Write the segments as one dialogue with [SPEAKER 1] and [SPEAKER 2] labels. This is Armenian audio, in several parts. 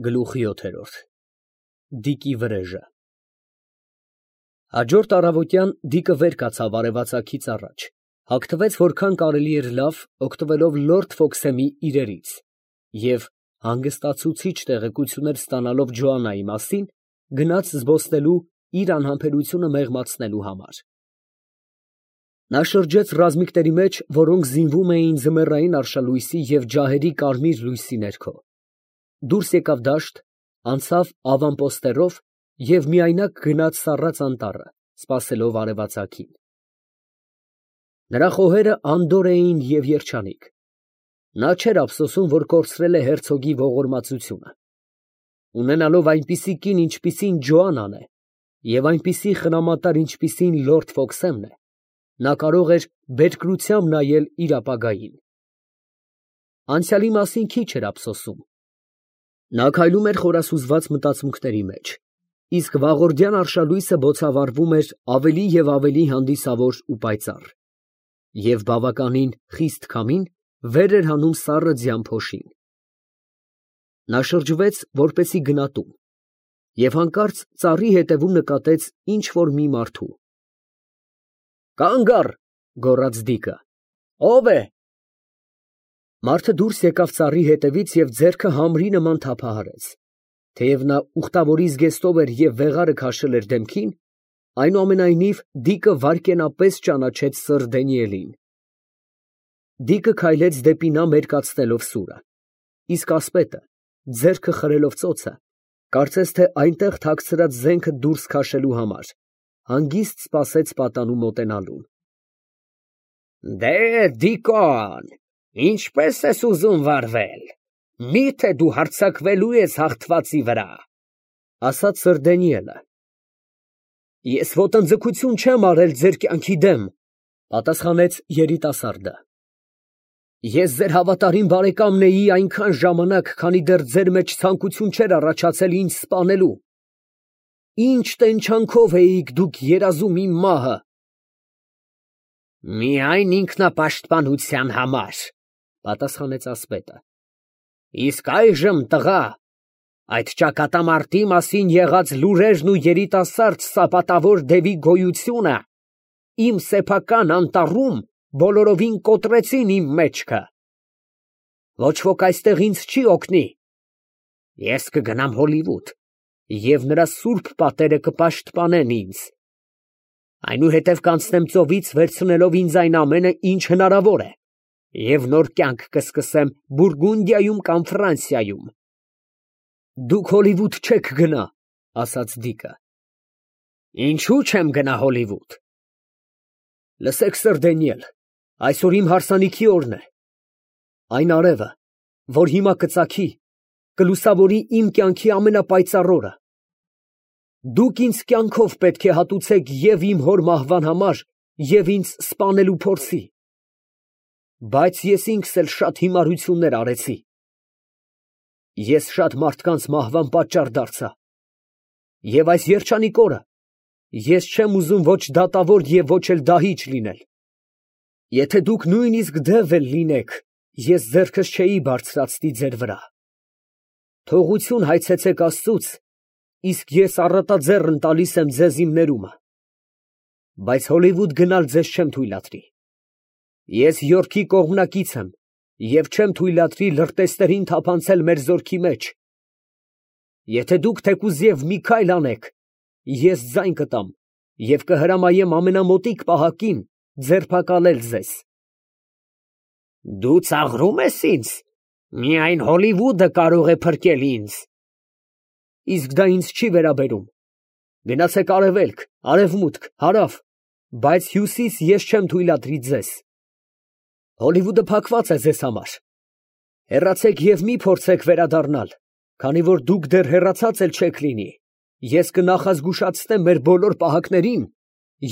[SPEAKER 1] Գլուխ 7 Դիկի վրեժը Հաջորդ առավոտյան Դիկը վեր կացավ արևածագից առաջ, հագնվեց որքան կարելի էր լավ, օգտվելով լորդ Ֆոքսեմի իրերից և, հանգստացուցիչ տեղեկություններ ստանալով Ջոաննայի մասին, գնաց զբոսնելու իր անհամբերությունը մեղմացնելու համար։ Նա շրջեց ռազմիկների մեջ, որոնք զինվում էին ձմեռային արշալույսի և ջահերի կարմիր լույսի ներքո, դուրս եկավ դաշտ, անցավ ավանպոստերով և միայնակ գնաց սառած անտառը, սպասելով արևածագին։ Նրա խոհերը անդորր էին և երջանիկ. նա չէր ափսոսում, որ կորցրել է հերցոգի ողորմածությունը։ Ունենալով այնպիսի կին, ինչպիսին Ջոաննան է, և այնպիսի խնամատար, ինչպիսին լորդ Ֆոքսեմն է, նա կարող էր բերկրությամբ նայել իր ապագային։ Անցյալի մասին քիչ էր ափսոսում։ Նա քայլում էր խորասուզված մտածմունքների մեջ, իսկ վաղորդյան արշալույսը բոցավառվում էր ավելի և ավելի հանդիսավոր ու պայծառ, և բավականին խիստ քամին վեր էր հանում սառը ձյան փոշին։ Նա շրջվեց, որպեսզի գնա տուն, և հանկարծ ծառի ետևում նկատեց ինչ֊որ մի մարդու։ «Կանգ առ», գոռաց Դիկը, «ո՞վ է»։ Մարդը դուրս եկավ ծառի հետևից և ձեռքը համրի նման թափահարեց. թեև նա ուխտավորի զգեստով էր և վեղարը քաշել էր դեմքին, այնուամենայնիվ Դիկը վայրկենապես ճանաչեց սըր Դանիելին։ Դիկը քայլեց դեպի նա մերկացնելով սուրը, իսկ ասպետը, ձեռքը խրելով ծոցը, կարծես թե այնտեղ թաքցրած զենքը դուրս քաշելու համար, հանգիստ սպասեց պատանու մոտենալուն։ «Դե, Դիկոն, ինչպե՞ս ես ուզում վարվել, մի՞թե դու հարձակվելու ես հաղթվածի վրա», ֊ ասաց սըր Դանիելը։ «Ես ոտնձգություն չեմ արել ձեր կյանքի դեմ», ֊ պատասխանեց երիտասարդը։ «Ես ձեր հավատարիմ բարեկամն էի այնքան ժամանակ, քանի դեռ ձեր մեջ ցանկություն չէր առաջացել ինձ սպանելու։ Ինչ տենչանքով էիք դուք երազում իմ մահը»։ «Միայն ինքնապաշտպանության համար», ֊ պատասխանեց ասպետը։ «Իսկ այժմ, տղա, այդ ճակատամարտի մասին եղած լուրերն ու երիտասարդ սապատավոր դևի գոյությունը իմ սեփական անտառում բոլորովին կոտրեցին իմ մեջքը։ Ոչ ոք այստեղ ինձ չի օգնի։ Ես կգնամ Հոլիվուդ, և նրա սուրբ պատերը կպաշտպանեն ինձ։ Այնուհետև կանցնեմ ծովից, վերցնելով ինձ այն ամենը, ինչ հնարավոր է, և նոր կյանք կսկսեմ Բուրգունդիայում կամ Ֆրանսիայում»։ «Դուք Հոլիվուդ չեք գնա», ֊ ասաց Դիկը։ «Ինչո՞ւ չեմ գնա Հոլիվուդ»։ «Լսեք, սըր Դանիել, այսօր իմ հարսանիքի օրն է։ Այն արևը, որ հիմա կծագի, կլուսավորի իմ կյանքի ամենապայծառ օրը։ Դուք ինձ կյանքով պետք է հատուցեք և իմ հոր մահվան համար, և ինձ սպանելու փորձի։ Բայց ես ինքս էլ շատ հիմարություններ արեցի։ Ես շատ մարդկանց մահվան պատճառ դարձա, և այս երջանիկ օրը ես չեմ ուզում ոչ դատավոր և ոչ էլ դահիճ լինել։ Եթե դուք նույնիսկ դև էլ լինեք, ես ձեռքս չէի բարձրացնի ձեր վրա։ Թողություն հայցեցեք Աստծուց, իսկ ես առատաձեռն տալիս եմ ձեզ իմ ներումը։ Բայց Հոլիվուդ գնալ ձեզ չեմ թույլատրի։ Ես Յորքի կողմնակից եմ և չեմ թույլատրի լրտեսներին թափանցել մեր զորքի մեջ։ Եթե դուք թեկուզ և մի քայլ անեք, ես ձայն կտամ և կհրամայեմ ամենամոտիկ պահակին ձերբակալել ձեզ»։ «Դու ծաղրում ես ինձ. միայն Հոլիվուդը կարող է փրկել ինձ»։ «Իսկ դա ինձ չի վերաբերում։ Գնացեք արևելք, արևմուտք, հարավ, բայց հյուսիս ես չեմ թույլատրի ձեզ։ Հոլիվուդը փակված է ձեզ համար։ Հեռացեք և մի փորձեք վերադառնալ, քանի որ դուք դեռ հեռացած էլ չեք լինի, ես կնախազգուշացնեմ մեր բոլոր պահակներին,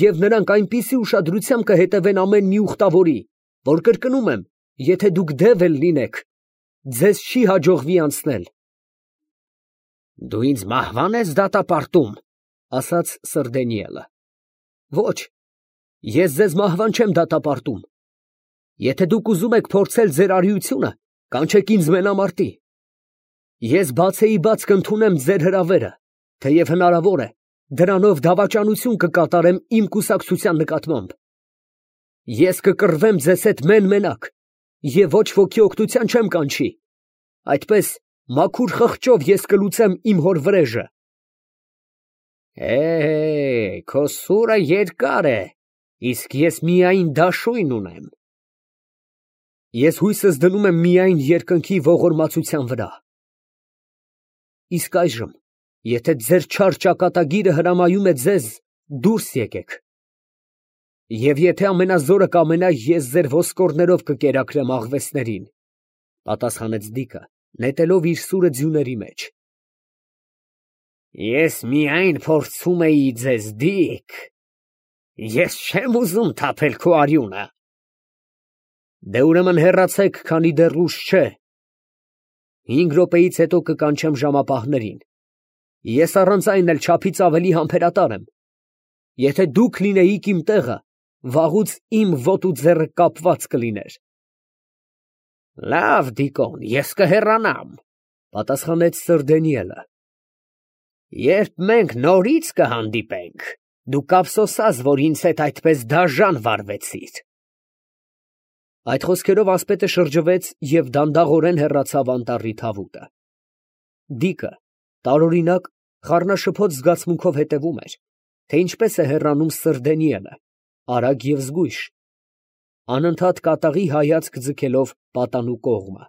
[SPEAKER 1] և նրանք այնպիսի ուշադրությամբ կհետևեն ամեն մի ուխտավորի, որ կրկնում եմ, եթե դուք դև էլ լինեք, ձեզ չի հաջողվի անցնել»։ «Դու ինձ մահվա՞ն ես դատապարտում», ֊ ասաց սըր Դանիելը։ «Ոչ, ես ձեզ մահվան չեմ դատապարտում։ Եթե դուք ուզում եք փորձել ձեր արիությունը, կանչեք ինձ մենամարտի։ Ես բացեի բաց կընդունեմ ձեր հրավերը, թեև հնարավոր է, դրանով դավաճանություն կկատարեմ իմ կուսակցության նկատմամբ։ Ես կկռվեմ ձեզ հետ մեն֊մենակ և ոչ ոքի օգնության չեմ կանչի։ Այդպես մաքուր խղճով ես կլուծեմ իմ հոր վրեժը։ Քո սուրը երկար է, իսկ ես միայն դաշույն ունեմ։ Ես հույսս դնում եմ միայն երկնքի ողորմածության վրա։ Իսկ այժմ, եթե ձեր չար ճակատագիրը հրամայում է ձեզ, դուրս եկեք։ Եվ եթե ամենազորը կամենա, ես ձեր ոսկորներով կկերակրեմ աղվեսներին, պատասխանեց Դիկը, նետելով իր սուրը ձյուների մեջ։ Ես միայն փորձում էի ձեզ, Դիկ։ Ես չեմ ուզում թափել քո արյունը։ Դե ուրեմն հեռացեք, քանի դեռ ուշ չէ։ 5 րոպեից հետո կկանչեմ ժամապահներին։ Ես առանց այն էլ չափից ավելի համբերատար եմ։ Եթե դուք լինեիք իմ տեղը, վաղուց իմ ոտը ու ձեռքը կապված կլիներ։ Լավ, Դիկոն, ես կհեռանամ, պատասխանեց Սր Դանիելը։ Երբ մենք նորից կհանդիպենք, դու կափսոսաս, որ ինձ հետ այդպես դաժան վարվեցիր։ Այդ խոսքերով ասպետը շրջվեց և դանդաղորեն հեռացավ անտառի թավուտը։ Դիկը տարօրինակ խառնաշփոթ զգացմունքով հետևում էր, թե ինչպես է հեռանում Սր Դանիելը, արագ և զգույշ, անընդհատ կատաղի հայացք ձգելով պատանու կողմը,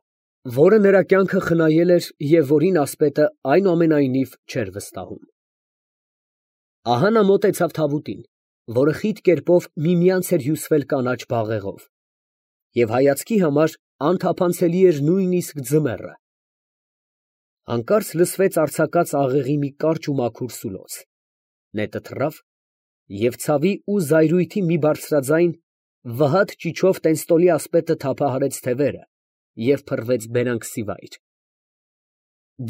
[SPEAKER 1] որը նրա կյանքը խնայել էր և որին ասպետը այնուամենայնիվ չէր վստահում։ Ահա նա մոտեցավ թավուտին, որը խիտ կերպով միմյանց էր հյուսվել կանաչ բաղեղով, և հայացքի համար անթափանցելի էր նույնիսկ ձմեռը։ Հանկարծ լսվեց արձակած աղեղի մի կարճ ու մաքուր սուլոց, նետը թռավ, և ցավի ու զայրույթի մի բարձրաձայն վհատ ճիչով տենստոլի ասպետը թափահարեց թևերը և փռվեց բերանքսի վայր։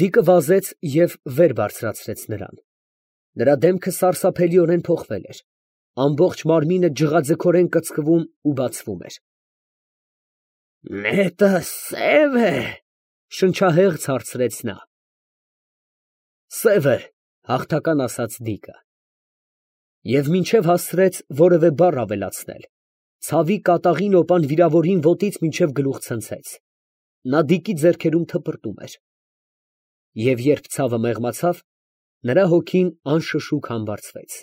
[SPEAKER 1] Դիկը վազեց և վեր բարձրացրեց նրան։ Նրա դեմքը սարսափելիորեն փոխվել էր, ամբողջ մարմինը ջղաձգորեն կծկվում ու բացվում էր։ Նետը սև է, շնչահեղձ հարցրեց նա։ Սև է, հաղթական ասաց Դիկը։ Եվ մինչև հասցրեց որևէ բառ ավելացնել, ցավի կատաղի նոպան վիրավորին ոտից մինչև գլուխ ցնցեց։ Նա Դիկի ձեռքերում թպրտում էր։ Եվ երբ ցավը մեղմացավ, նրա հոգին անշշուկ համբարձվեց։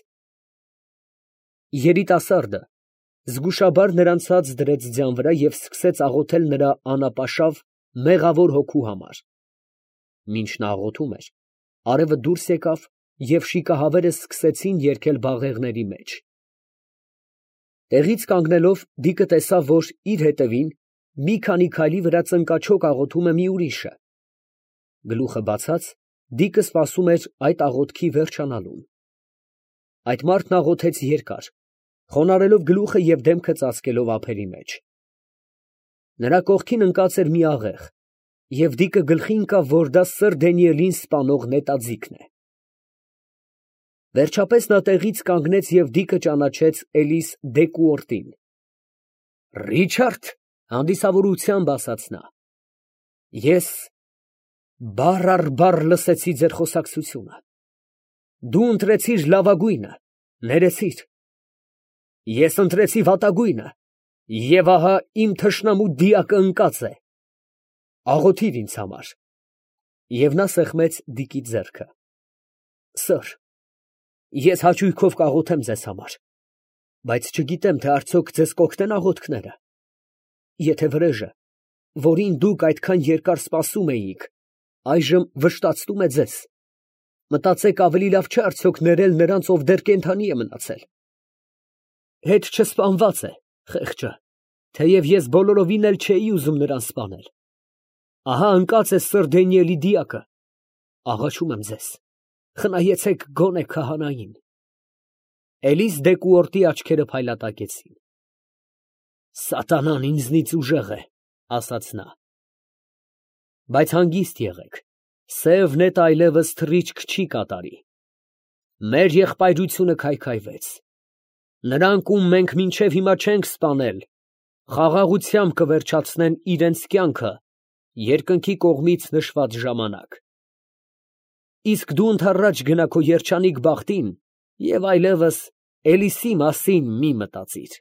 [SPEAKER 1] Երիտասարդը զգուշաբար նրան ցած դրեց ձյան վրա և սկսեց աղոթել նրա անապաշավ, մեղավոր հոգու համար։ Մինչ նա աղոթում էր, արևը դուրս եկավ և շիկահավերը սկսեցին երգել բաղեղների մեջ։ Տեղից կանգնելով, Դիկը տեսավ, որ իր հետևին, մի քանի քայլի վրա ծնկաչոք աղոթում է մի ուրիշը։ Գլուխը բացած, Դիկը սպասում էր այդ աղոթքի վերջանալուն։ Այդ մարդն աղոթեց երկար, խոնարհելով գլուխը և դեմքը ծածկելով ափերի մեջ։ Նրա կողքին ընկած էր մի աղեղ, և Դիկը գլխի ընկավ, որ դա Սր Դանիելին սպանող նետաձիգն է։ Վերջապես նա տեղից կանգնեց և Դիկը ճանաչեց Էլիս Դեկուորտին։ Ռիչարդ, հանդիսավորությամբ ասաց նա, ես բառ առ բառ լսեցի ձեր խոսակցությունը։ Դու ընտրեցիր լավագույնը, ներեցիր։ Ես ընտրեցի վատագույնը, և ահա իմ թշնամու դիակը ընկած է։ Աղոթիր ինձ համար։ Եվ նա սեղմեց Դիկի ձեռքը։ Սըր, ես հաճույքով կաղոթեմ ձեզ համար, բայց չգիտեմ, թե արդյոք ձեզ կօգնեն աղոթքները։ Եթե վրեժը, որին դուք այդքան երկար սպասում էիք, այժմ վշտացնում է ձեզ, մտածեք ավելի լավ չէ արդյոք ներել նրանց, ով դեռ կենդանի է մնացել։ Հետ չսպանված է, խեղճը, թեև ես բոլորովին էլ չէի ուզում նրան սպանել։ Ահա ընկած է Սր Դանիելի դիակը։ Աղաչում եմ ձեզ, խնայեցեք գոնե քահանային։ Էլիս Դեկուորտի աչքերը փայլատակեցին։ Սատանան ինձնից ուժեղ է, ասաց նա։ Բայց հանգիստ եղեք, սև նետը այլևս թռիչք չի կատարի։ Մեր եղբայրությունը քայքայվեց։ Նրանք, ում մենք մինչև հիմա չենք սպանել, խաղաղությամբ կվերջացնեն իրենց կյանքը երկնքի կողմից նշված ժամանակ։ իսկ դու ընդառաջ գնա քո երջանիկ բախտին և այլևս Էլիսի մասին մի մտածիր։